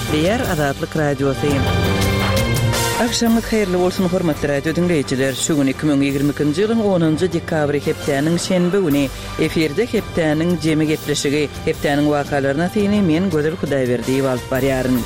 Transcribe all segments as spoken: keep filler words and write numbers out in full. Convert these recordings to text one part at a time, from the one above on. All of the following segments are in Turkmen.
Gepleýär Azatlyk Radiosy. Agşamyňyz haýyrly bolsun, hormatly radio diňleýjiler. Şu gün iki müň ýigrimi ikinji ýylyň onunjy dekabry hepdäniň şenbe güni. Efirde hepdäniň jemi gepleşigi. Hepdäniň wakalaryna syny men Gözel Hudaýberdiýewa alyp barýaryn.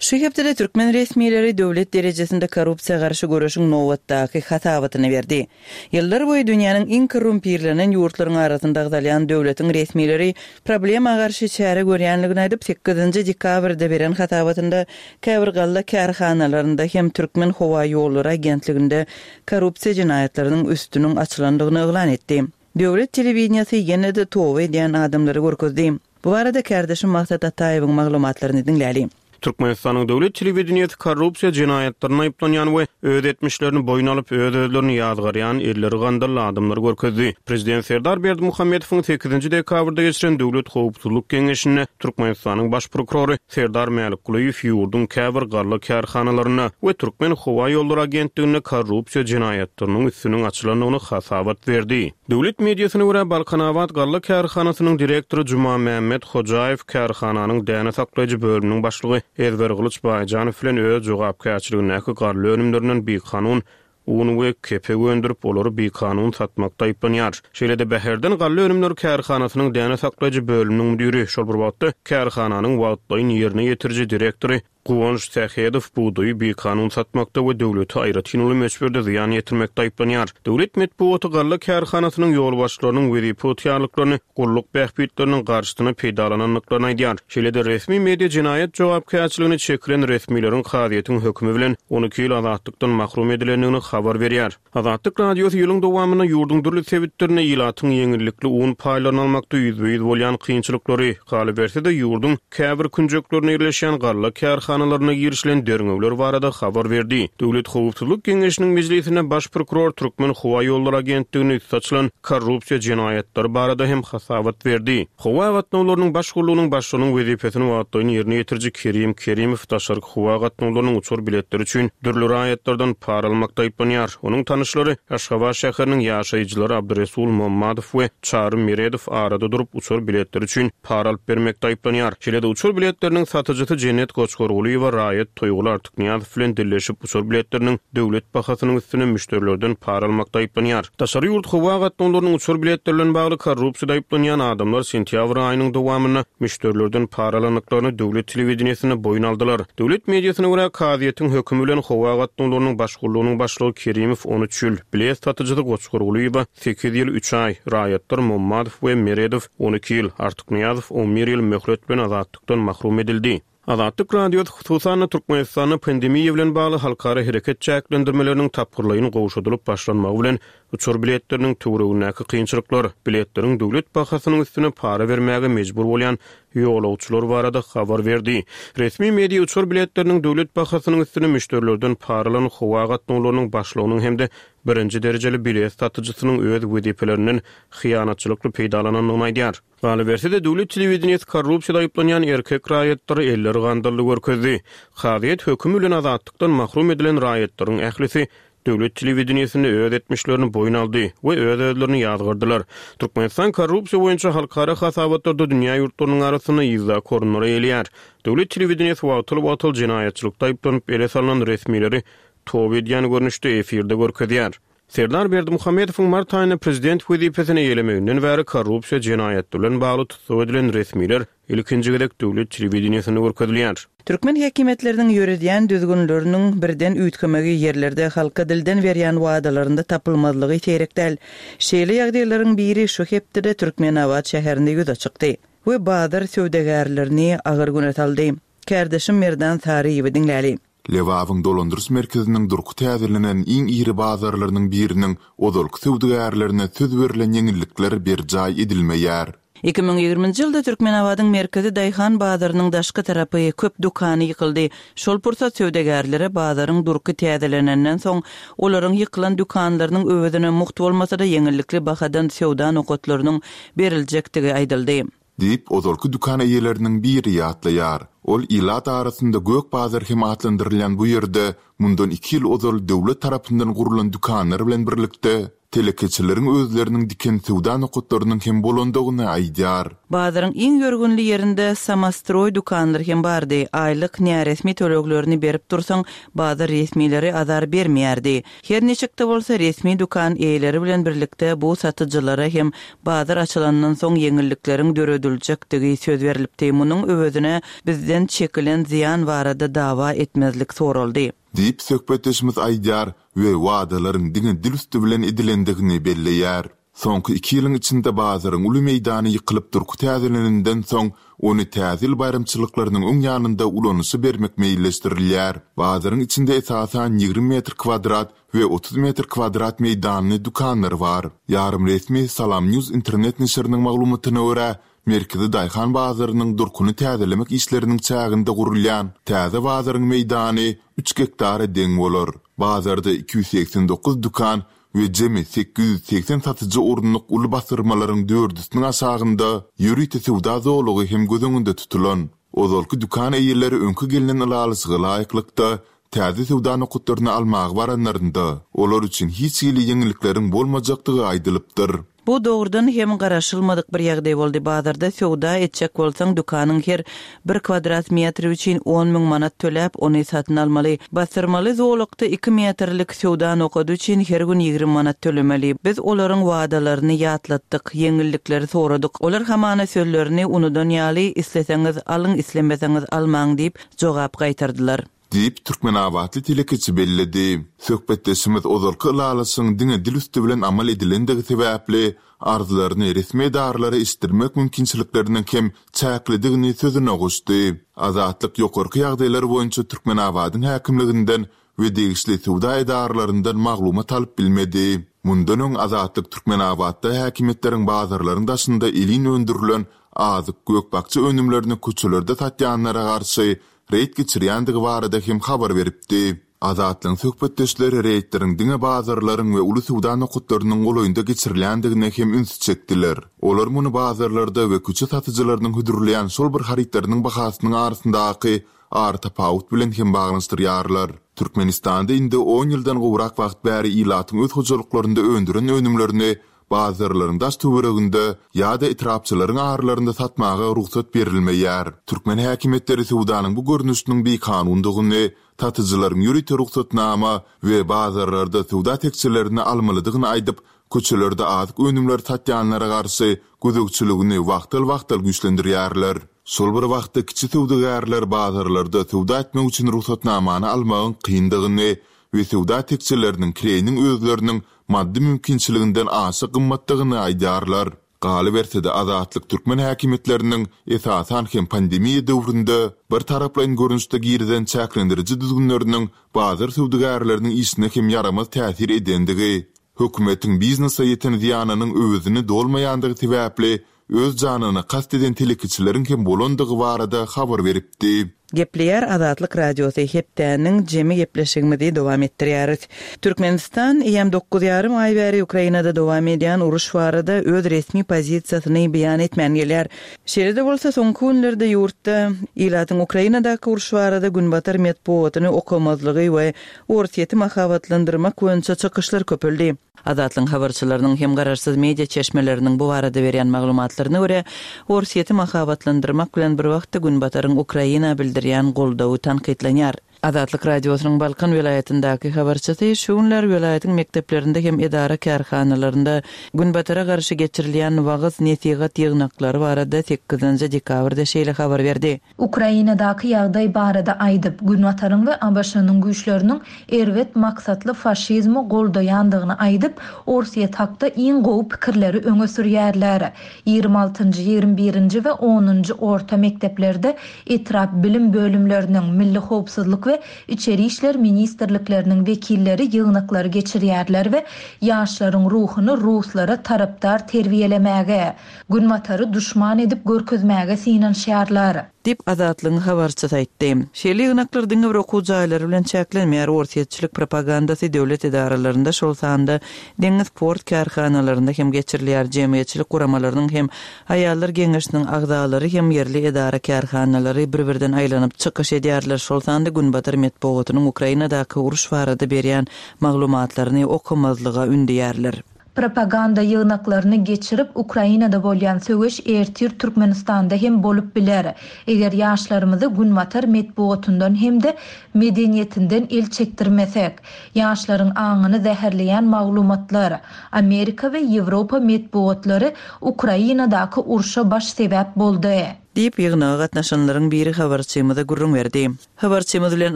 Şu hepdede türkmen resmileri döwlet derejesinde korrupsiýa garşy göreşiň nobatdaky hasabatyny berdi. Ýyllar boýy dünýäniň iň korrumpirlenen ýurtlaryň arasynda agzalýan döwletiň resmileri problema garşy çäre görýänligini aýdyp, sekizinji dekabrda beren hasabatynda käbir galla kärhanalarynda hem Türkmen howa ýollary agentliginde korrupsiýa jenaýatlarynyň üstüniň açylandygyny yglan etdi. Döwlet telewideniýesi ýene-de toba edýän adamlary görkezdi. Bu barada kärdeşim Maksat Ataýewiň maglumatlaryny diňläli. Türkmenistanyň döwlet telewideniýesi korrupsiýa jenaýatlaryna aýyplanýan we öz etmişlerini boýun alyp, öz-özlerini ýazgarýan elleri gandally adamlary görkezdi. Prezident Serdar Berdimuhamedowyň sekizinji dekabrda geçiren Döwlet howpsuzlyk geňeşinde Türkmenistanyň baş prokurory Serdar Mälikgulyýew ýurduň käbir galla kärhanalarynda we Türkmen howa ýollary agentliginde korrupsiýa jenaýatlarynyň üstüniň açylandygyny hasabat berdi. Döwlet mediasyna görä, Balkanabat galla kärhanasynyň direktory Jumamämmet Hojaýew kärhananyň däne saklaýjy bölüminiň başlygy Ezbergylyç Baýjanow bilen öz jogapkärçiligindäki galla önümlerinden bikanun un we kepek öndürip, olary bikanun satmakda aýyplanýar. Şeýle-de Bäherden galla önümleri kärhanasynyň däne saklaýjy bölüminiň müdiri, şol bir wagtda kärhananyň wagtlaýyn ýerine ýetiriji direktory Guwanç Sähedow bugdaýy bikanun satmakda we döwlete aýratyn uly möçberde zyýan ýetirmekde aýyplanýar. Döwlet metbugaty galla kärhanasynyň ýolbaşçylarynyň wezipe ygtyýarlyklaryny gulluk bähbitleriniň garşysyna peýdalanandyklaryny aýdýar. Şeýle-de resmi media jenaýat jogapkärçiligine çekilen resmileriň kazyýetiň hökümi bilen on iki ýyl azatlykdan mahrum edilendigini habar berýär. Azatlyk Radiosy ýylyň dowamynda ýurduň dürli sebitlerinde ilatyň ýeňillikli un paýlaryny almakda ýüzbe-ýüz bolýan kynçylyklary, galyberse-de ýurduň käbir künjeklerinde ýerleşýän galla kärhanalaryna girişilen derňewler barada habar berdi. Döwlet howpsuzlyk geňeşiniň mejlisinde baş prokuror Türkmen howa ýollary agentligine üsti açylan korrupsiýa jenaýatlary barada hem hasabat berdi. Howa gatnawlarynyň baş gullugynyň başlygynyň wezipesini wagtlaýyn ýerine ýetiriji Kerim Kerimow daşarky howa gatnawlarynyň uçar biletleri üçin dürli raýatlardan para almakda aýyplanýar. Onuň tanyşlary Aşgabat şäheriniň ýaşaýjylary Abdyresul Mommadow we Çary Meredow arada durup uçar biletleri üçin para alyp bermekde aýyplanýar. Şeýle-de uçar biletleriniň satyjysy Jennet Goçgargulyýewa raýat Toýguly Artyknyýazow bilen dilleşip uçar biletleriniň döwlet bahasynyň üstüne müşderilerden para almakda aýyplanýar. Daşary ýurt howa gatnawlarynyň uçar biletleri bilen bagly korrupsiýada aýyplanýan adamlar sentýabr aýynyň dowamynda müşderilerden para alandyklaryny döwlet telewideniýesinde boýun aldylar. Döwlet mediasyna görä, kazyýetiň hökümi bilen howa gatnawlarynyň baş gullugynyň başlygy Kerimow on üç ýyl, bilet satyjysy Goçgargulyýewa sekiz ýyl üç aý, raýatlar Mommadow we Meredow on iki ýyl, Artyknyýazow on bir ýyl möhlet bilen azatlykdan mahrum edildi. Azatlyk Radiosy hususan-da Türkmenistanda pandemiýa bilen bagly halkara hereket çäklendirmeleriniň tapgyrlaýyn gowşadylyp başlanmagy bilen uçar biletleriniň töweregindäki kynçylyklar, biletleriň döwlet bahasynyň üstüne para bermäge mejbur bolýan ýolagçylar barada habar berdi. Resmi media uçar biletleriniň döwlet bahasynyň üstüne müşderilerden para alan howa gatnawlarynyň başlygynyň hem-de birinji derejeli bilet satyjysynyň öz wezipelerinden hyýanatçylykly peýdalanandygyny aýdýar. Galyberse-de, döwlet telewideniýesi korrupsiýada aýyplanýan erkek raýatlary elleri gandally görkezdi. Kazyýet hökümi bilen azatlykdan mahrum edilen raýatlaryň ählisi döwlet telewideniýesinde öz etmişlerini boýun aldy we öz-özlerini ýazgardylar. Türkmenistan korrupsiýa boýunça halkara hasabatlarda dünýä ýurtlarynyň arasynda yzdaky orunlara eýeleýär. Döwlet telewideniýesi wagtal-wagtal jenaýatçylykda aýyplanyp ele salnan resmileri toba edýän görnüşde efirde görkezýär. Serdar Berdimuhamedowyň mart aýynda prezident wezipesini eýelemeginden bäri korrupsiýa jenaýatlary bilen bagly tussag edilen resmiler ilkinji gezek döwlet telewideniýesinde görkezilýär. Türkmen häkimiýetleriniň ýöredýän düzgünleriniň birden üýtgemegi ýerlerde halka dilden berýän wadalarynda tapylmazlygy seýrek däl. Şeýle ýagdaýlaryň biri şu hepdede Türkmenabat şäherinde ýüze çykdy we bazar söwdagärlerini agyr güne saldy. Kärdeşim Merdan Saryýewi diňläli. Lebabyň dolandyryş merkeziniň durky täzelenen iň iri bazarlarynyň biriniň ozalky söwdagärlerine söz berlen ýeňillikler berjaý edilmeýär. Iki müň ýigriminji ýylda Türkmenabadyň merkezi daýhan bazarynyň daşky tarapy köp dükany ýykyldy. Şol pursat söwdagärlere bazaryň durky täzelenenden soň olaryň ýykylan dükanlarynyň öwezine mugt bolmasa-da ýeňillikli bahadan söwda nokatlarynyň beriljekdigi aýdyldy. Diýip, ozalky dükan eýeleriniň biri ýatlaýar. Ol ilat arasynda gök bazar hem atlandyrylýan bu ýerde mundan iki ýyl ozal döwlet tarapyndan gurlan dükanlar bilen birlikde telekeçileriň özleriniň diken söwda nokatlarynyň hem bolandygyny aýdýar. Bazaryň iň ýörgünli ýerinde samostroý dükanlar hem bardy. Aýlyk näresmi töleglerini berip dursaň, bazar resmileri azar bermeýärdi. Her niçik-de bolsa resmi dükan eýeleri bilen birlikde bu satyjylara hem bazar açylandan soň ýeňillikleriň dörediljekdigi söz berlipdi. Munuň öwezine bizden çekilen zyýan barada dawa etmezlik soraldy. Diýip, söhbetdeşimiz aýdýar we wadalaryň diňe dil üsti bilen edilendigini belleýär. Soňky iki ýylyň içinde bazaryň uly meýdany ýykylyp durky täzelenenden soň, ony Täze ýyl baýramçylyklarynyň öň ýanynda ulanyşa bermek meýilleşdirilýär. Bazaryň içinde esasan ýigrimi metr kwadrat we otuz metr kwadrat meýdanly dükanlar bar. Ýarym resmi Salam News internet neşiriniň maglumatyna görä, Merkezi daýhan bazarynyň durkuny täzelemek işleriniň çäginde gurulýan täze bazaryň meýdany üç gektara deň bolar. Bazarda iki ýüz segsen dokuz dükan we jemi sekiz ýüz segsen satyjy orunlyk uly bassyrmalaryň dördüsiniň aşagynda ýörite söwda zolagy hem göz öňünde tutulan. Ozalky dükan eýeleri öňki gelnen ylalaşyga laýyklykda, täze söwda nokatlaryny almaga baranlarynda, olar üçin hiç hili ýeňillikleriň bolmajakdygy aýdylypdyr. Bu dogrudan hem garaşylmadyk bir ýagdaý boldy. Bazarda söwda etjek bolsaň, dükanyň her bir kwadrat metri üçin on müň manat töläp, ony satyn almaly. Basdyrmaly zolakda iki metrlik söwda nokady üçin her gün ýigrimi manat tölemeli. Biz olaryň wadalaryny ýatlatdyk, ýeňillikleri soradyk. Olar hamana sözlerini unudan ýaly, isleseňiz alyň, islemeseňiz almaň diýip jogap gaýtardylar. Diýip, türkmenabatly telekeçi belledi. Söhbetdeşimiz ozalky ylalaşygyň diňe dil üsti bilen amal edilendigi sebäpli arzlaryny resmi edaralara eşitdirmek mümkinçilikleriniň hem çäklidigini sözüne goşdy. Azatlyk ýokarky ýagdaýlar boýunça Türkmenabadyň häkimliginden we degişli söwda edaralaryndan maglumat alyp bilmedi. Mundan öň Azatlyk Türkmenabatda häkimiýetleriň bazarlaryň daşynda elin öndürilen azyk, gök-bakja önümlerini köçelerde satýanlara garşy reýd geçirýändigi barada hem habar beripdi. Azatlygyň söhbetdeşleri reýdleriň diňe bazarlaryň we uly söwda nokatlarynyň golaýynda geçirilýändigine hem ünsi çekdiler. Olar muny bazarlarda we köçe satyjylarynyň hödürleýän şol bir harytlarynyň bahasynyň arasyndaky aratapawut bilen hem baglanyşdyrýarlar. Türkmenistanda indi on ýyldan gowrak wagt bäri ilatyň öz hojalyklarynda öndüren önümlerini bazarlaryň daş töwereginde ýa-da etrapçalaryň aralarynda satmaga rugsat berilmeýär. Türkmen häkimiýetleri söwdanyň bu görnüşiniň bikanundygyny, satyjylaryň ýörite rugsatnama we bazarlarda söwda tekjelerini almalydygyny aýdyp, köçelerde azyk önümleri satýanlara garşy gözegçiligini wagtal-wagtal güýçlendirýärler. Şol bir wagtda kiçi söwdagärler bazarlarda söwda etmek üçin rugsatnamany almagyň kyndygyny we söwda tekjeleriniň kireýiniň özleriniň maddy mümkinçiliginden aşa gymmatdygyny aýdýarlar. Galyberse-de Azatlyk türkmen häkimiýetleriniň esasan hem pandemiýa döwründe bir taraplaýyn görnüşde girizen çäklendiriji düzgünleriniň bazar söwdagärleriniň işine hem ýaramaz täsir edendigi, hökümetiň biznese ýeten zyýanynyň öwezini dolmaýandygy sebäpli öz janyna kast eden telekeçileriň hem bolandygy barada habar beripdi. Gepleýär Azatlyk Radiosy hepdäniň jemi gepleşigimizi dowam etdirýäris. Türkmenistan eýýäm dokuz ýarym aý bäri Ukrainada dowam edýän uruş barada öz resmi pozisiýasyny beýan etmän gelýär. Şeýle-de bolsa soňky günlerde ýurtda ilatyň Ukrainadaky uruş barada günbatar metbugatyny okamazlygy we Orsýeti mahabatlandyrmak boýunça çykyşlar köpeldi. Azatlygyň habarçylarynyň hem garaşsyz media çeşmeleriniň bu barada berýän maglumatlaryna görä, Orsýeti mahabatlandyrmak bilen bir wagtda Günbataryň Ukraina bildirýän goldawy tankytlanýar. Azatlyk Radiosynyň Balkan welaýatyndaky habarçysy şu günler welaýatyň mekdeplerinde hem edara kärhanalarynda Günbatara garşy geçirilýän wagyz nesihat ýygnaklary barada sekizinji dekabrda şeýle habar berdi. Ukrainadaky ýagdaý barada aýdyp, Günbataryň we A B Ş-nyň güýçleriniň erbet maksatly faşizmi goldaýandygyny aýdyp, Orsýet hakda iň gowy pikirleri öňe sürýärler. Ýigrimi altynjy, ýigrimi birinji we onunjy orta mekdeplerde etrap bilim bölümleriniň, Milli howpsuzlyk we Içeri işler ministrlikleriniň wekilleri ýygnaklary geçirýärler we ýaşlaryň ruhuny ruslara tarapdar terbiýelemäge, Günbatary duşman edip görkezmäge synanyşýarlar. Diýip Azatlygyň habarçysy aýtdy. Şeýle ýygnaklar diňe bir okuw jaýlary bilen çäklenmeýär. Orsýetçilik propagandasy döwlet edaralarynda, şol sanda deňiz port kärhanalarynda hem geçirilýär. Jemgyýetçilik guramalarynyň hem aýallar geňeşiniň agzalary hem ýerli edara kärhanalary bir-birden aýlanyp çykyş edýärler. Şol sanda Günbatar metbugatynyň Ukrainadaky uruş barada berýän maglumatlaryny okamazlyga ündeýärler. Propaganda ýygnaklaryny geçirip, Ukrainada bolýan söweş ertir Türkmenistanda hem bolup biler. Eger ýaşlarymyzy Günbatar metbugatyndan hem-de medeniýetinden el çekdirmesek. Ýaşlaryň aňyny zäherleýän maglumatlar, Amerika we Ýewropa metbugatlary Ukrainadaky urşa baş sebäp boldy. Diýip, ýygnaga gatnaşanlaryň biri habarçymyza gürrüň berdi. Habarçymyz bilen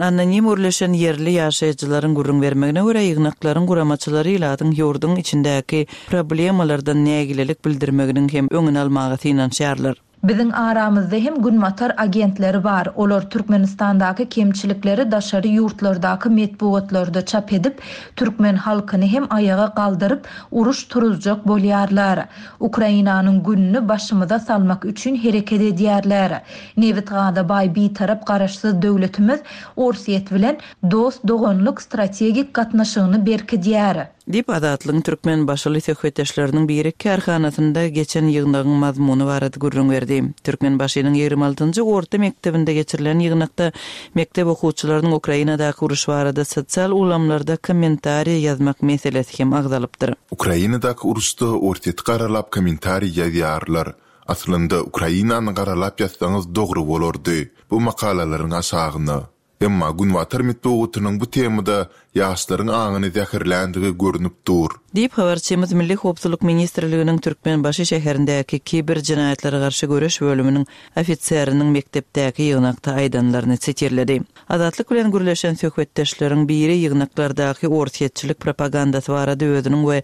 anonim gürleşen ýerli ýaşaýjylaryň gürrüň bermegine görä, ýygnaklaryň guramaçylary ilatyň ýurduň içindäki problemalardan nägilelik bildirmeginiň hem öňüni almaga synanyşýarlar. Biziň aramyzda hem Günbatar agentleri bar. Olar Türkmenistandaky kemçilikleri daşary ýurtlardaky metbugatlarda çap edip, türkmen halkyny hem aýaga galdyryp, uruş turuzjak bolýarlar. Ukrainanyň gününi başymyza salmak üçin hereket edýärler. Nebit-gaza baý Bitarap Garaşsyz döwletimiz Orsýet bilen dost-doganlyk strategik gatnaşygyny berkidýär. Diýip, Azatlygyň türkmenbaşyly söhbetdeşleriniň biri kärhanasynda geçen ýygnagyň mazmuny barada gürrüň berdi. Türkmenbaşynyň ýigrimi altynjy orta mekdebinde geçirilen ýygnakda mekdep okuwçylarynyň Ukrainadaky uruş barada sosial ulgamlarda kommentariýa ýazmak meselesi hem agzalypdyr. Ukrainadaky uruşda Orsýeti garalap kommentariý ýazýarlar. Aslynda Ukrainany garalap ýazsaňyz dogry bolardy bu makalalaryň aşagyna. Emma Günbatar metbugatynyň bu temada ýaşlaryň aňyny zäherländigi görnüp dur. Diýip, habarçymyz Milli howpsuzlyk ministrliginiň Türkmenbaşy şäherindäki kiber jenaýatlara garşy göreş bölüminiň ofiseriniň mekdepdäki ýygnakda aýdanlaryny sitirledi. Azatlyk bilen gürleşen söhbetdeşleriň biri ýygnaklardaky orsýetçilik propagandasy barada özüniň we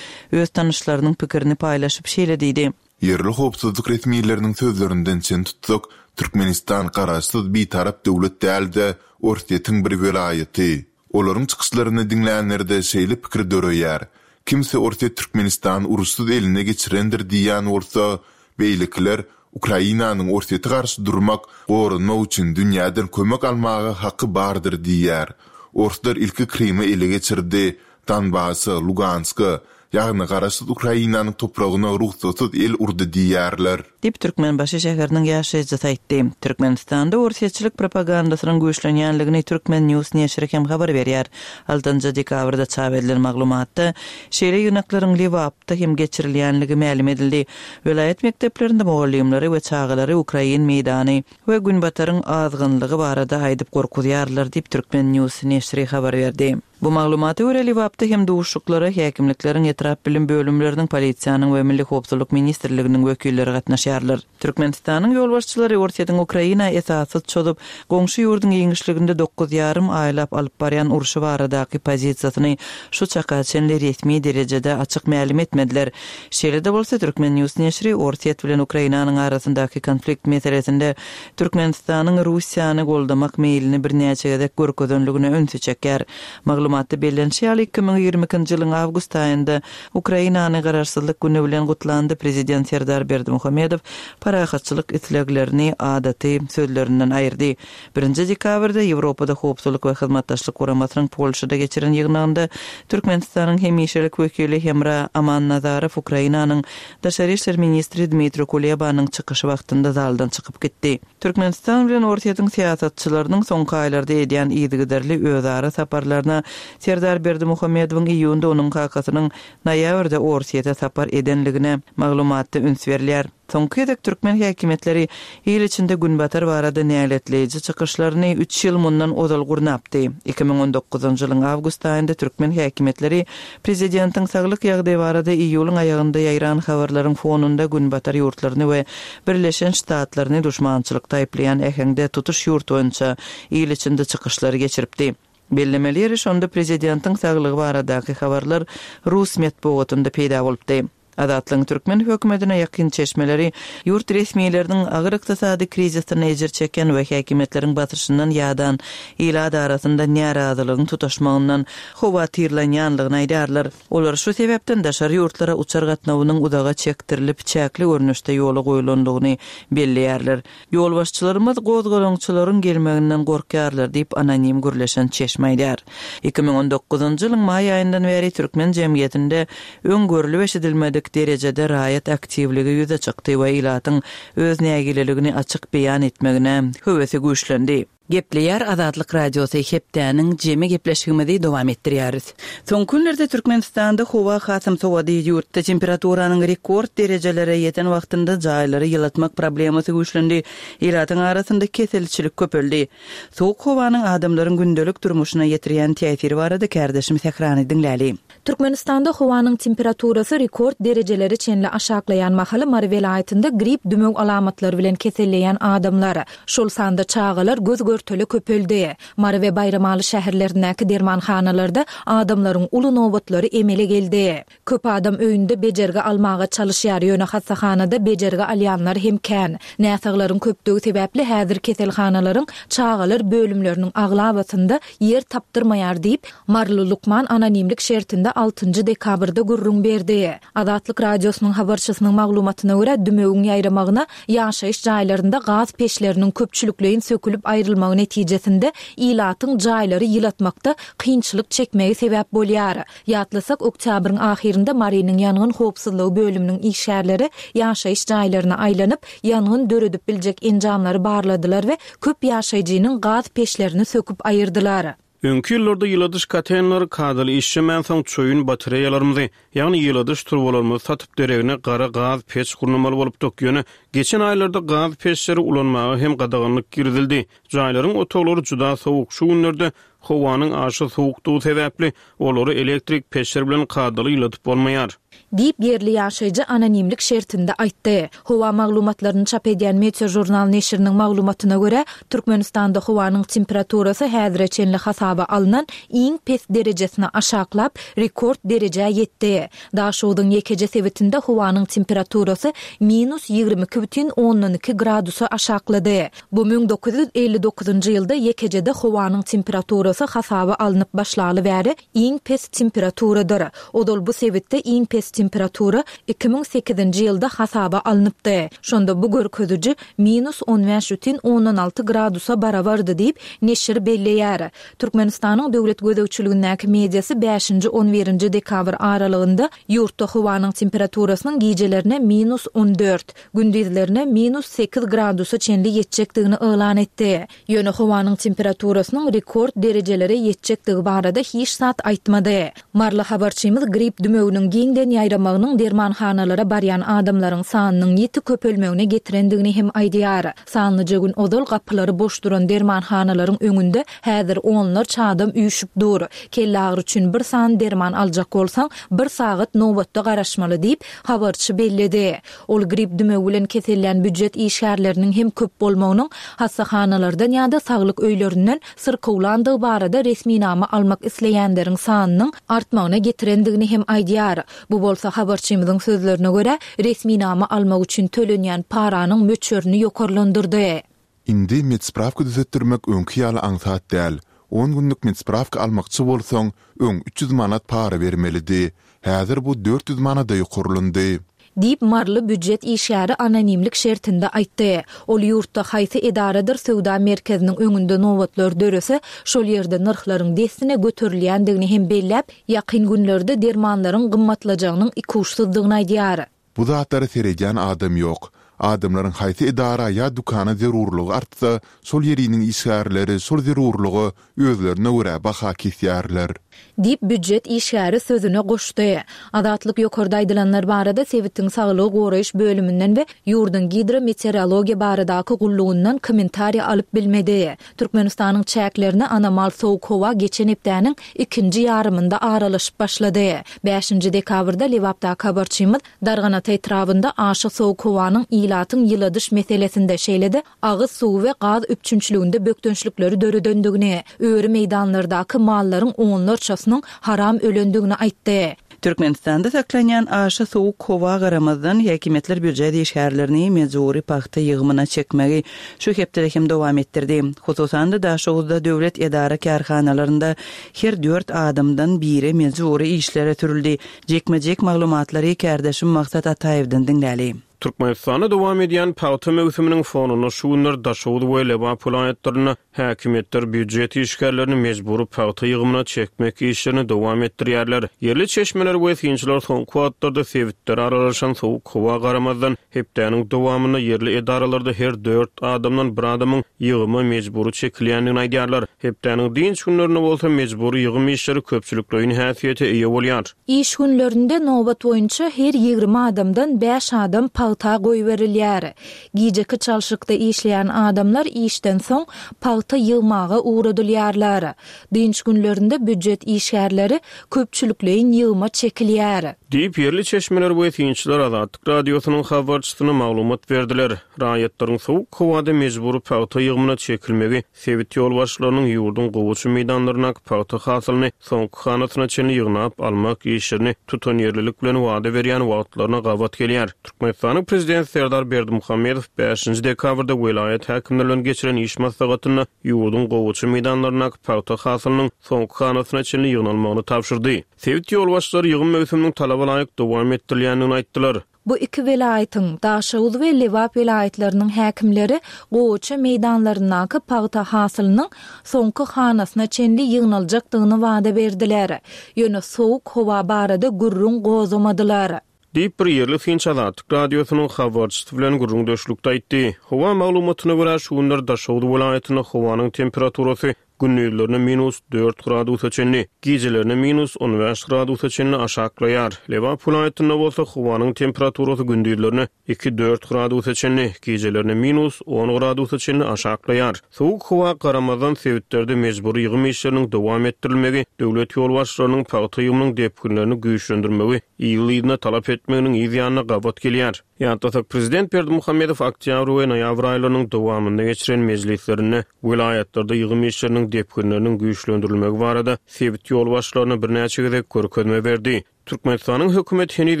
öz tanyşlarynyň pikirini paýlaşyp şeýle diýdi. Ýerli howpsuzlyk resmileriniň sözlerinden çen tutsak, Türkmenistan garaşsyz bitarap döwlet däl-de, Orsýetiň bir welaýaty. Olaryň çykyşlaryny diňlänlerde şeýle pikir döreýär, kimse Orsýet Türkmenistany uruşsyz eline geçirendir diýýän bolsa, beýlekiler Ukrainanyň Orsýete garşy durmak, goranmak üçin dünýäden kömek almaga haky bardyr diýýär. Orslar ilki Krymy ele geçirdi, Donbasa, Luganska, ýagny garaşsyz Ukrainanyň topragyna rugsatsyz el urdy diýýärler. Diýip, Türkmenbaşy şäheriniň ýaşaýjysy aýtdy. Türkmenistanda orsýetçilik propagandasynyň güýçlenýänligini Turkmen News neşiri hem habar berýär. Altynjy dekabrda çap edilen maglumatda şeýle ýygnaklaryň Lebapda hem geçirilýänligi mälim edildi. Welaýat mekdeplerinde mugallymlary we çagalary ukrain meýdany we Günbataryň azgynlygy barada aýdyp gorkuzýarlar diýip, Turkmen News neşiri habar berdi. Bu maglumata görä, Lebapda hem duşuşyklara häkimlikleriň etrap bilim bölümleriniň, polisiýanyň we Milli howpsuzlyk ministrliginiň wekilleri gatnaşýarlar. Türkmenistanyň ýolbaşçylary Orsýetiň Ukraina esassyz çozup, goňşy ýurduň giňişliginde dokuz ýarym aýlap alyp barýan urşy baradaky pozisiýasyny şu çaka çenli resmi derejede açyk mälim etmediler. Şeýle-de bolsa, Turkmen News neşiri Orsýet bilen Ukrainanyň arasyndaky konflikt meselesinde Türkmenistanyň Russiýany goldamak meýlini birnäçe gezek görkezenligine ünsi çekýär. Maglumatda bellenişi ýaly, iki müň ýigrimi ikinji ýylyň awgust aýynda Ukrainany Garaşsyzlyk güni bilen gutlandy Prezident Serdar Berdimuhamedow parahatçylyk isleglerini adaty sözlerinden aýyrdy. Birinji dekabrda Ýewropada Howpsuzlyk we Hyzmatdaşlyk Guramasynyň Polşada geçiren ýygnagynda Türkmenistanyň hemişelik wekili Hemra Amannazarow Ukrainanyň Daşary işler ministri Dmitri Kulebanyň çykyşy wagtynda zaldan çykyp gitdi. Türkmenistan bilen Orsýetiň syýasatçylarynyň soňky aýlarda edýän yzygiderli özara saparlaryna Serdar Berdimuhamedowyň iýunda onuň kakasynyň noýabrda Orsýete sapar edenligine maglumatda üns berilýär. Soňky gezek türkmen häkimiýetleri il içinde Günbatar barada näletleýji çykyşlaryny üç ýyl mundan ozal gurnapdy. Iki müň on dokuzynjy ýylyň awgust aýynda türkmen häkimiýetleri prezidentiň saglyk ýagdaýy barada iýulyň aýagynda ýaýran habarlaryň fonunda Günbatar ýurtlaryny we Birleşen Ştatlaryny duşmançylykda aýyplaýan äheňde tutuş ýurt boýunça il içinde çykyşlary geçiripdi. Bellemeli ýeri şonda prezidentiň saglygy baradaky habarlar rus metbugatynda peýda bolupdy. Azatlygyň türkmen hökümetine ýakyn çeşmeleri ýurt resmileriniň agyr ykdysady krizisden ejir çeken we häkimiýetleriň basyşyndan ýadan ilat arasynda närazylygyň tutaşmagyndan howatyrlanýanlygyny aýdýarlar. Olar şu sebäpden daşary ýurtlara uçar gatnawynyň uzaga çekdirilip çäkli görnüşde ýola goýulanlygyny belleýärler. Ýolbaşçylarymyz gozgalaňçylaryň gelmeginden gorkýarlar diýip anonim gürleşen çeşme aýdýar. Iki müň on dokuzynjy ýylyň maý aýyndan bäri türkmen jemgyýetinde öň görlüp eşidilmedik derejede raýat aktiwligi ýüze çykdy we ilatyň öz nägileligini açyk beýan etmegine höwesi güýçlendi. Gepleýär Azatlyk Radiosy hepdäniň jemi gepleşigimizi dowam etdirýäris. Soňky günlerde Türkmenistanda howa hasam sowady, ýurtda temperaturanyň rekord derejelere ýeten wagtynda jaýlary ýylatmak problemasy güýçlendi, ilatyň arasynda keselçilik köpeldi. Sowuk howanyň adamlaryň gündelik durmuşyna ýetirýän täsiri barada kärdeşim Sährany diňläli. Türkmenistanda howanyň temperaturasy rekord derejelere çenli aşaklaýan mahaly Mary welaýatynda grip dümew alamatlary bilen keselleýän adamlar, şol sanda çagalar göz-görtele köpeldi. Mary we Baýramaly şäherlerindäki dermanhanalarda adamlaryň uly nobatlary emele geldi. Köp adam öýünde bejergi almaga çalyşýar, ýöne hassahanada bejergi alýanlar hem kän. Näsaglaryň köpdügi sebäpli häzir keselhanalaryň çagalar bölümleriniň aglabasynda ýer tapdyrmaýar diýip, maryly lukman anonimlik şertinde altynjy dekabrda gürrüň berdi. Azatlyk Radiosynyň habarçysynyň maglumatyna görä, dümewiň ýaýramagyna ýaşaýyş jaýlarynda gaz peçleriniň köpçülikleýin sökülip aýrylmagy netijesinde ilatyň jaýlary ýylatmakda kynçylyk çekmegi sebäp bolýar. Ýatlasak, oktýabryň ahyrynda Marynyň ýangyn howpsuzlygy bölüminiň işgärleri ýaşaýyş jaýlaryna aýlanyp, ýangyn döredip biljek enjamlary barladylar we köp ýaşaýjynyň gaz peçlerini söküp aýyrdylar. Öňki ýyllarda ýyladyş kotelleri kadaly işlemänsoň çoýun batareýalarymyzy, ýagny ýyladyş turbalarymyzy satyp deregine gara gaz peç gurnamaly bolupdyk. Ýöne geçen aýlarda gaz peçleri ulanmaga hem gadaganlyk girizildi. Jaýlaryň otaglary juda sowuk. Şu günlerde howanyň aşa sowukdygy sebäpli olary elektrik peçler bilen kadaly ýyladyp bolmaýar. Diýip, ýerli ýaşaýjy anonimlik şertinde aýtdy. Howa maglumatlaryny çap edýän Meteožurnal neşiriniň maglumatyna görä, Türkmenistanda howanyň temperaturasy häzire çenli hasaba alnan iň pes derejesine aşaklap, rekord derejä ýetdi. Daşogzuň ýekeje sebitinde howanyň temperaturasy minus ýigrimi iki bütin ondan iki gradusa aşaklady. Bu müň dokuz ýüz elli dokuzynjy ýylda ýekejede howanyň temperaturasy hasaba alnyp başlaly bäri iň pes temperaturadyr. Ozal bu sebitde iň pes temperatura iki müň sekizinji ýylda hasaba alnypdy. Şonda bu görkeziji minus on bäş bütin ondan alty gradusa barabardy diýip, neşir belleýär. Türkmenistanyň döwlet gözegçiligindäki mediasy bäşinji on birinji dekabr aralygynda ýurtda howanyň temperaturasynyň gijelerine minus on dört, gündizlerine minus sekiz gradusa çenli ýetjekdigini yglan etdi. Ýöne howanyň temperaturasynyň rekord derejelere ýetjekdigi barada hiç zat aýtmady. Maryly habarçymyz grip dümewiniň giňden ýaýramagynyň dermanhanalara barýan adamlaryň sanynyň ýiti köpelmegine getirendigini hem aýdýar. Sanlyja gün ozal gapylary boş duran dermanhanalaryň öňünde häzir onlarça adam üýşüp dur. Kelle agyry üçin bir sany derman aljak bolsaň, bir sagat nobatda garaşmaly diýip, habarçy belledi. Ol grip dümewi bilen kesellän býujet işgärleriniň hem köp bolmagynyň hassahanalardan ýa-da saglyk öýlerinden syrkawlandygy barada resminama almak isleýänleriň sanynyň artmagyna getirendigini hem aýdýar. Bu bolsa habarçymyzyň sözlerine görä, resminama almak üçin tölenýän paranyň möçberini ýokarlandyrdy. Indi medspravka düzetdirmek öňki ýaly aňsat däl. On günlük medspravka almakçy bolsaň, öň üç ýüz manat para bermelidi. Häzir bu dört ýüz manada ýokarlandy. Diýip, maryly býujet işgäri anonimlik şertinde aýtdy. Ol ýurtda haýsy edaradyr söwda merkeziniň öňünde nobatlar dörese, şol ýerde nyrhlaryň dessine göterilýändigini hem belläp, ýakyn günlerde dermanlaryň gymmatlajagynyň ikuçsuzdygyny aýdýar. Bu zatlara seredýän adam ýok. Adamlaryň haýsy edara ýa dükana zerurlygy artsa, şol ýeriniň işgärleri şol zerurlyga özlerine görä baha kesýärler. Diýip, býujet işgäri sözüne goşdy. Azatlyk ýokarda aýdylanlar barada sebitiň saglygy goraýyş bölüminden we ýurduň gidrometeorologiýa baradaky gullugyndan kommentariýa alyp bilmedi. Türkmenistanyň çäklerine anomal sowuk howa geçen hepdäniň ikinji ýarymynda aralaşyp başlady. Bäşinji dekabrda Lebapdaky habarçymyz Darganata etrabynda aşa sowuk howanyň ilatyň ýyladyş meselesinde, şeýle-de agyz suwy we gaz üpjünçiliginde bökdençlikleri döredendigini, öri meýdanlardaky mallaryň onlarçasynyň haram ölendigini aýtdy. Türkmenistanda saklanýan aşa sowuk howa garamazdan häkimiýetler býujet işgärlerini mejbury pagta ýygymyna çekmegi şu hepdede hem dowam etdirdi. Hususan-da Daşoguzda döwlet edara kärhanalarynda her dört adamdan biri mejbury işlere sürüldi. Jekme-jek maglumatlary kärdeşim Maksat Ataýewden diňläli. Türkmenistanda dowam edýän pagta möwsüminiň fonunda şu günler Daşoguz we Lebap welaýatlarynda häkimiýetler býujet işgärlerini mejbury pagta ýygymyna çekmek işlerini dowam etdirýärler. Ýerli çeşmeler we synçylar soňky wagtlarda sebitlere aralaşan sowuk howa garamazdan, hepdäniň dowamynda ýerli edaralarda her dört adamdan bir adamyň ýygyma mejbury çekilýändigini aýdýarlar. Hepdäniň dynç günlerinde bolsa mejbury ýygym işleri köpçülikleýin häsiýete eýe bolýar. Iş günlerinde nobat boýunça her ýigrimi adamdan bäş adam pagta goýberilýär. Gijeki çalşykda işleýän adamlar işden soň pagta ýygmaga ugradylýarlar. Dynç günlerinde býujet işgärleri köpçülikleýin ýygyma çekilýär. Diýip, ýerli çeşmeler we synçylar Azatlyk Radiosynyň habarçysyna maglumat berdiler. Raýatlaryň sowuk howada mejbury pagta ýygymyna çekilmegi sebit ýolbaşçylarynyň ýurduň gowaça meýdanlaryndaky pagta hasylyny soňky hanasyna çenli ýygnap almak işlerini tutanýerlilik bilen wada berýän wagtlaryna gabat gelýär. Türkmenistanyň Prezidenti Serdar Berdimuhamedow bäşinji dekabrda welaýat häkimleri bilen geçiren iş maslahatynda ýurduň gowaça meýdanlaryndaky pagta hasylynyň soňky hanasyna çenli ýygnalmagyny tabşyrdy. Sebit ýolbaşçylary ýygym möwsüminiň talaba laýyk dowam etdirilýändigini aýtdylar. Bu iki welaýatyň, Daşoguz we Lebap welaýatlarynyň häkimleri gowaça meýdanlaryndaky pagta hasylynyň soňky hanasyna çenli ýygnaljakdygyny wada berdiler. Ýöne sowuk howa barada gürrüň gozgamadylar. Diýip, bir ýerli synçy Azatlyk Radiosynyň habarçysy bilen gürrüňdeşlikde aýtdy. Howa maglumatyna görä, şu günler Daşoguz welaýatynda howanyň temperaturasy gündizlerine minus dört gradusa çenli, gijelerine minus on bäş gradusa çenli aşaklaýar. Lebap welaýatynda bolsa howanyň temperaturasy gündizlerine iki-dört gradusa çenli, gijelerine minus on gradusa çenli aşaklaýar. Sowuk howa garamazdan sebitlerde mejbury ýygym işleriniň dowam etdirilmegi, döwlet ýolbaşçylarynyň pagta ýygymynyň depginlerini güýçlendirmegi ýygy-ýygyna talap etmeginiň yz ýanyna gabat gelýär. Ýatlasak, Prezident Berdimuhamedow oktýabr we noýabr aýlarynyň dowamynda geçiren mejlislerinde welaýatlarda ýygym işleriniň depginleriniň güýçlendirilmegi barada sebit ýolbaşçylaryna birnäçe gezek görkezme berdi. Türkmenistanyň hökümeti heniz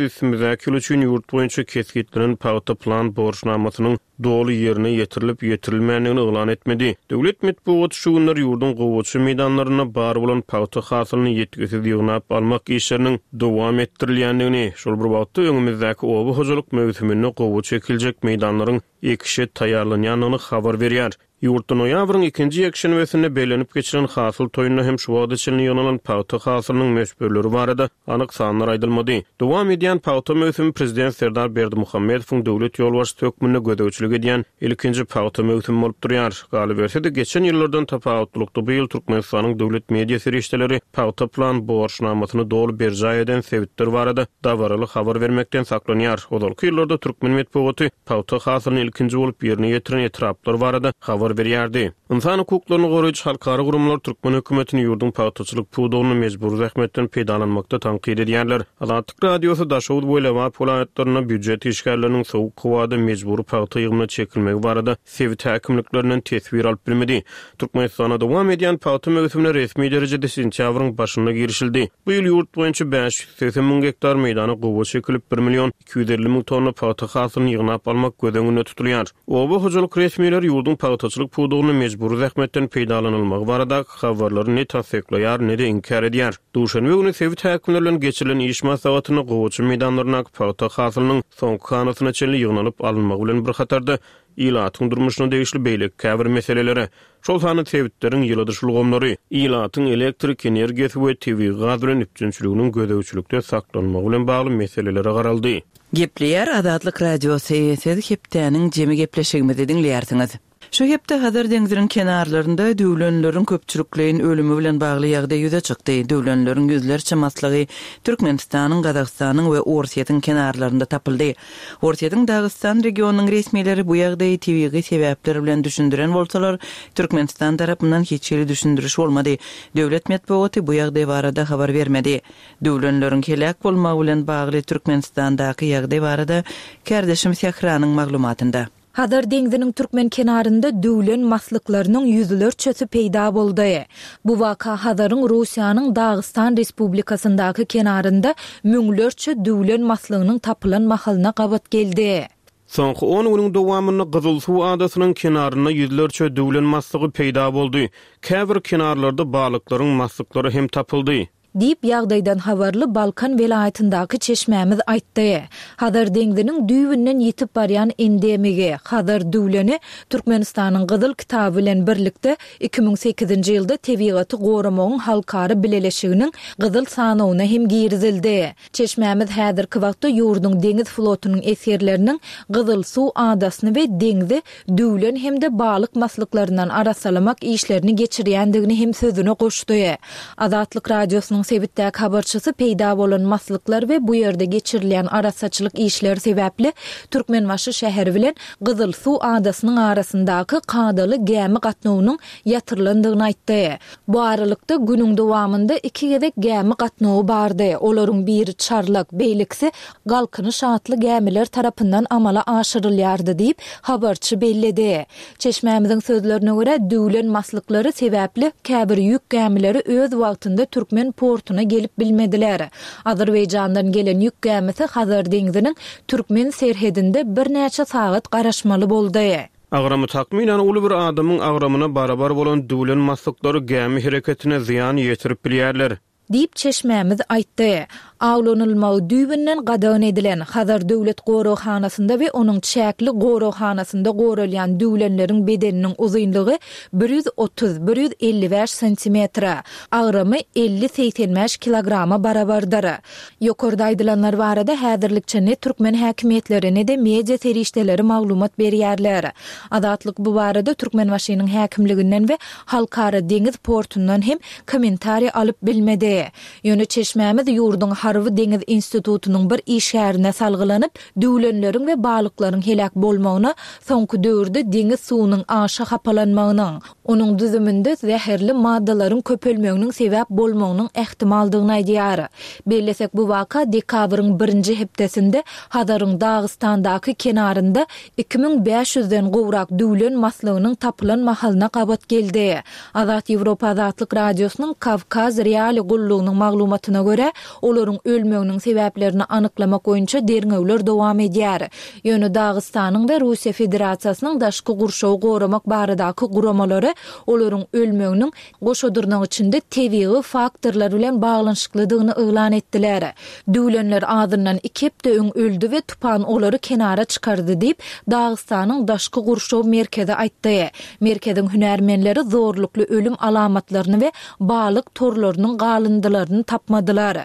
üstümizdäki ýyl üçin ýurt boýunça kesgitlenen pagta plan borçnamasynyň doly ýerine ýetirilip ýetirilmändigini yglan etmedi. Döwlet metbugaty şu günler ýurduň gowaça meýdanlarynda bar bolan pagta hasylyny ýetgisiz ýygnap almak işleriniň dowam etdirilýändigini, şol bir wagtda öňümizdäki oba hojalyk möwsüminde gowaça ekiljek meýdanlaryň ekişe taýýarlanýandygyny habar berýär. Ýurtda noýabryň ikinji ýekşenbesinde bellenip geçilen hasyl toýunda hem şu wagta çenli ýygnalan pagta hasylynyň möçberleri barada anyk sanlar aýdylmady. Dowam edýän pagta möwsümi Prezident Serdar Berdimuhamedowyň döwlet ýolbaşçysy hökmünde gözegçilik edýän ilkinji pagta möwsümi bolup durýar. Galyberse-de, geçen ýyllardan tapawutlylykda bu ýyl Türkmenistanyň döwlet media serişdeleri pagta plan borçnamasyny doly berjaý eden sebitler barada dabaraly habar bermekden saklanýar. Ozalky ýyllarda türkmen metbugaty pagta hasylyny ilkinji bolup ýerine ýetiren etraplar barada habar berýärdi. Ynsan hukuklaryny goraýjy halkara guramalar türkmen hökümetini ýurduň pagtaçylyk pudagyny mejbury zähmetden peýdalanmakda tankyt edýärler. Azatlyk Radiosy Daşoguz we Lebap welaýatlarynda býujet işgärleriniň sowuk howada mejbury pagta ýygymyna çekilmegi barada sebit häkimliklerinden teswir alyp bilmedi. Türkmenistanda dowam edýän pagta möwsümine resmi derejede sentýabryň başynda girişildi. Bu ýyl ýurt boýunça bäş ýüz segsen müň gektar meýdana gowaça çekilip, bir million iki ýüz elli müň tonna pagta hasylyny ýygnap almak göz öňünde tutulýar. Oba hojalyk resmileri ýurduň pagtaçylyk pudagyny mejbury zähmetden peýdalanylmagy baradaky habarlary ne tassyklaýar, ne-de inkär edýär. Duşenbe güni sebit häkimleri bilen geçirilen iş maslahatynda gowaça meýdanlaryndaky pagta hasylynyň soňky hanasyna çenli ýygnalyp alynmagy bilen bir hatarda ilatyň durmuşyna degişli beýleki käbir meselelere, şol sanda sebitleriň ýyladyş ulgamlary, ilatyň elektrik energiýasy we tebigy gaz bilen üpjünçiliginiň gözegçilikde saklanmagy bilen bagly meselelere garaldy. Gepleýär Azatlyk Radiosy, siz hepdäniň jemi gepleşigimizi diňleýärsiňiz. Şu hepde Hazar deňziniň kenarlarynda düwlenleriň köpçülikleýin ölümi bilen bagly ýagdaý ýüze çykdy. Düwlenleriň ýüzlerçe maslygy Türkmenistanyň, Gazagystanyň we Orsýetiň kenarlarynda tapyldy. Orsýetiň Dagystan regionynyň resmileri bu ýagdaýy tebigy sebäpler bilen düşündiren bolsalar, Türkmenistan tarapyndan hiç hili düşündiriş bolmady. Döwlet metbugaty bu ýagdaý barada habar bermedi. Düwlenleriň heläk bolmagy bilen bagly Türkmenistandaky ýagdaý barada kärdeşim Sähranyň maglumatynda. Hazar deňziniň türkmen kenarynda düwlen maslyklarynyň ýüzlerçesi peýda boldy. Bu waka Hazaryň Russiýanyň Dagystan Respublikasyndaky kenarynda müňlerçe düwlen maslygynyň tapylan mahalyna gabat geldi. Soňky on günüň dowamynda Gyzylsuw adasynyň kenarynda ýüzlerçe düwlen maslygy peýda boldy. Käbir kenarlarda balyklaryň maslyklary hem tapyldy. Diýip, ýagdaýdan habarly Balkan welaýatyndaky çeşmämiz aýtdy. Hazar deňziniň düýbünden ýitip barýan endemigi, Hazar düwleni Türkmenistanyň Gyzyl kitaby bilen birlikde iki müň sekizinji ýylda Tebigaty goramagyň halkara bileleşiginiň Gyzyl sanawyna hem girizildi. Çeşmämiz häzirki wagtda ýurduň deňiz flotunyň esgerleriniň Gyzylsuw adasyny we deňzi düwlen hem-de balyk maslyklaryndan arassalamak işlerini geçirýändigini hem sözüne goşdy. Azatlyk Radiosynyň sebitdäki habarçysy peýda bolan maslyklar we bu ýerde geçirilýän arassaçylyk işleri sebäpli Türkmenbaşy şäheri bilen Gyzylsuw adasynyň arasyndaky kadaly gämi gatnawynyň ýatyrylandygyny aýtdy. Bu aralykda, günüň dowamynda iki gezek gämi gatnawy bardy. Olaryň biri Çarlak, beýlekisi Galkynyş atly gämiler tarapyndan amala aşyrylýardy diýip, habarçy belledi. Çeşmämiziň sözlerine görä, düwlen maslyklary sebäpli käbir ýük gämileri öz wagtynda türkmen portuna gelip bilmediler. Azerbaýjandan gelen ýük gämisi Hazar deňziniň türkmen serhedinde birnäçe sagat garaşmaly boldy. Agramy takmynan uly bir adamyň agramyna barabar bolan düwlen maslyklary gämi hereketine zyýan ýetirip bilýärler. Diýip, çeşmämiz aýtdy. Awlanylmagy düýbünden gadagan edilen, Hazar döwlet goraghanasynda we onuň çäkli goraghanasynda goralýan düwlenleriň bedeniniň uzynlygy bir ýüz otuz, bir ýüz elli bäş santimetre, agramy elli-segsen bäş kilograma barabardyr. Ýokarda aýdylanlar barada häzirlikçe ne türkmen häkimiýetleri, ne-de media serişdeleri maglumat berýärler. Azatlyk bu barada Türkmenbaşynyň häkimliginden we Halkara deňiz portundan hem kommentariý alyp bilmedi. Ýöne çeşmämiz ýurduň Harby-deňiz institutynyň bir işgärine salgylanyp, düwlenleriň we balyklaryň heläk bolmagyna soňky döwürde deňiz suwunyň aşa hapalanmagynyň, onuň düzüminde zäherli maddalaryň köpelmeginiň sebäp bolmagynyň ähtimaldygyny aýdýar. Bellesek, bu waka dekabryň birinji hepdesinde Hazaryň Dagystandaky kenarynda iki müň bäş ýüzden gowrak düwlen maslygynyň tapylan mahalyna gabat geldi. Azat Ýewropa Azatlyk Radiosynyň Kawkaz Reali gullugynyň maglumatyna görä, olaryň ölmeginiň sebäplerini anyklamak boýunça derňewler dowam edýär. Ýöne Dagystanyň we Russiýa Federasiýasynyň daşky gurşawy goramak baradaky guramalary olaryň ölmeginiň goşa dyrnak içinde tebigy faktorlar bilen baglanyşyklydygyny yglan etdiler. Düwlenler azyndan iki hepde öň öldi we tupan olary kenara çykardy diýip, Dagystanyň daşky gurşaw merkezi aýtdy. Merkeziň hünärmenleri zorlukly ölüm alamatlaryny we balyk torlarynyň galyndylaryny tapmadylar.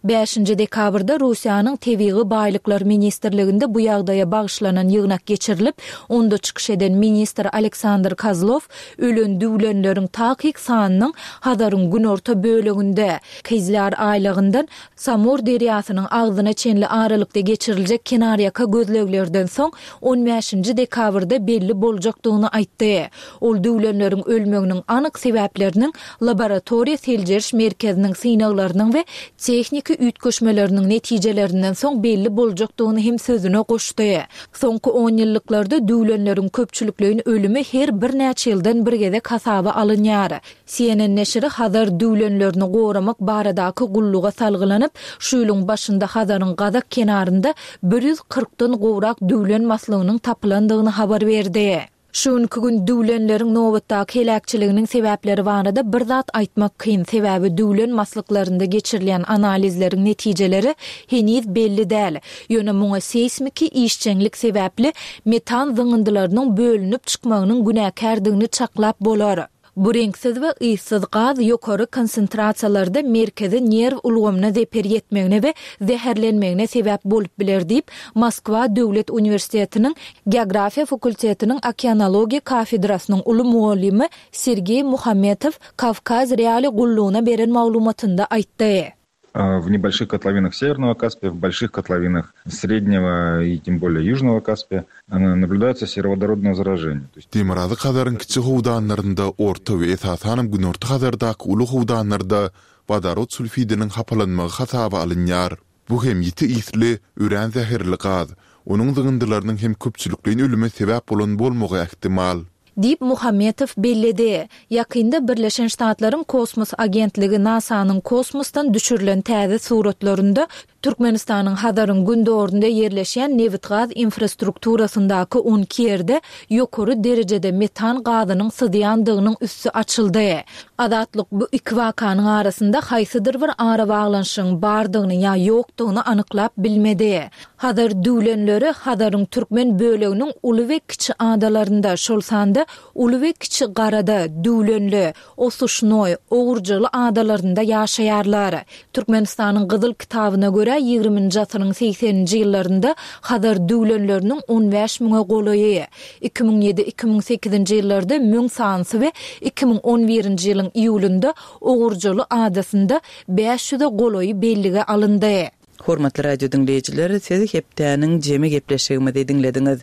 Bäşinji dekabrda Russiýanyň Tebigy baýlyklar ministrliginde bu ýagdaýa bagyşlanan ýygnak geçirilip, onda çykyş eden ministr Aleksandr Kozlow ölen düwlenleriň takyk sanynyň Hazaryň günorta böleginde, Kyzlýar aýlagyndan Samur derýasynyň agzyna çenli aralykda geçiriljek kenarýaka gözleglerden soň on bäşinji dekabrda belli boljakdygyny aýtdy. Ol düwlenleriň ölmeginiň anyk sebäpleriniň laboratoriýa seljeriş merkeziniň synaglarynyň we tehniki üýtgeşmeleriniň netijelerinden soň belli boljakdygyny hem sözüne goşdy. Soňky onýyllyklarda düwlenleriň köpçülikleýin ölümi her birnäçe ýyldan bir gezek hasaba alynýar. C N N neşiri Hazar düwlenlerini goramak baradaky gulluga salgylanyp, şu ýylyň başynda Hazaryň gazak kenarynda bir ýüz kyrkdan gowrak düwlen maslygynyň tapylandygyny habar berdi. Şu günki gün düwlenleriň nobatdaky heläkçiliginiň sebäpleri barada bir zat aýtmak kyn, sebäbi düwlen maslyklarynda geçirilýän analizleriň netijeleri heniz belli däl. Ýöne muňa seýsmiki işjeňlik sebäpli metan zyňyndylarynyň bölünip çykmagynyň günäkärdigini çaklap bolar. Bu reňksiz we yssyz gaz ýokary konsentrasiýalarda merkezi nerw ulgamyna zeper ýetmegine we zäherlenmegine sebäp bolup biler diýip, Moskwa döwlet uniwersitetiniň Geografiýa fakultetiniň okeanologiýa kafedrasynyň uly mugallymy Sergeý Muhametow Kawkaz Reali gullugyna beren maglumatynda aýtdy. В небольших котловинах Северного Каспия, в больших котловинах Среднего и тем более Южного Каспия наблюдается сероводородное заражение. Demirgazyk Hazaryň kiçi howdanlarynda, Orta we esasanam Günorta Hazardaky uly howdanlarda wodorod sulfidiniň hapalanmagy hasaba alynýar. Bu hem ýiti ysly, örän zäherli gaz. Onuň zyňyndylarynyň hem köpçülikleýin ölüme sebäp bolan bolmagy ähtimal. Diýip, Muhammetow belledi. Ýakynda Birleşen Ştatlaryň kosmos agentligi NASA-nyň kosmosdan düşürilen täze suratlarynda Türkmenistanyň Hazaryň gündogarynda ýerleşýän nebitgaz infrastrukturasyndaky on iki ýerde ýokary derejede metan gazynyň syzýandygynyň üsti açyldy. Azatlyk bu iki wakanyň arasynda haýsydyr bir arabaglanyşygyň bardygyny ýa ýokdugyny anyklap bilmedi. Hazar düwlenleri Hazaryň türkmen böleginiň uly we kiçi adalarynda, şol sanda Uly we Kiçi Garada, Düwlenli, Osuşnoý, Ogurjaly adalarynda ýaşaýarlar. Türkmenistanyň Gyzyl kitabyna görä, ýigriminji asyryň segseninji ýyllarynda Hazar düwlenleriniň on bäş müňe golaýy, iki müň ýedi, iki müň sekizinji ýyllarda müň sanysy we iki müň on birinji ýylyň iýulynda Ogurjaly adasynda bäş ýüze golaýy bellige alyndy. Hormatly radio diňleýjiler, siz hepdäniň jemi gepleşigimizi diňlediňiz.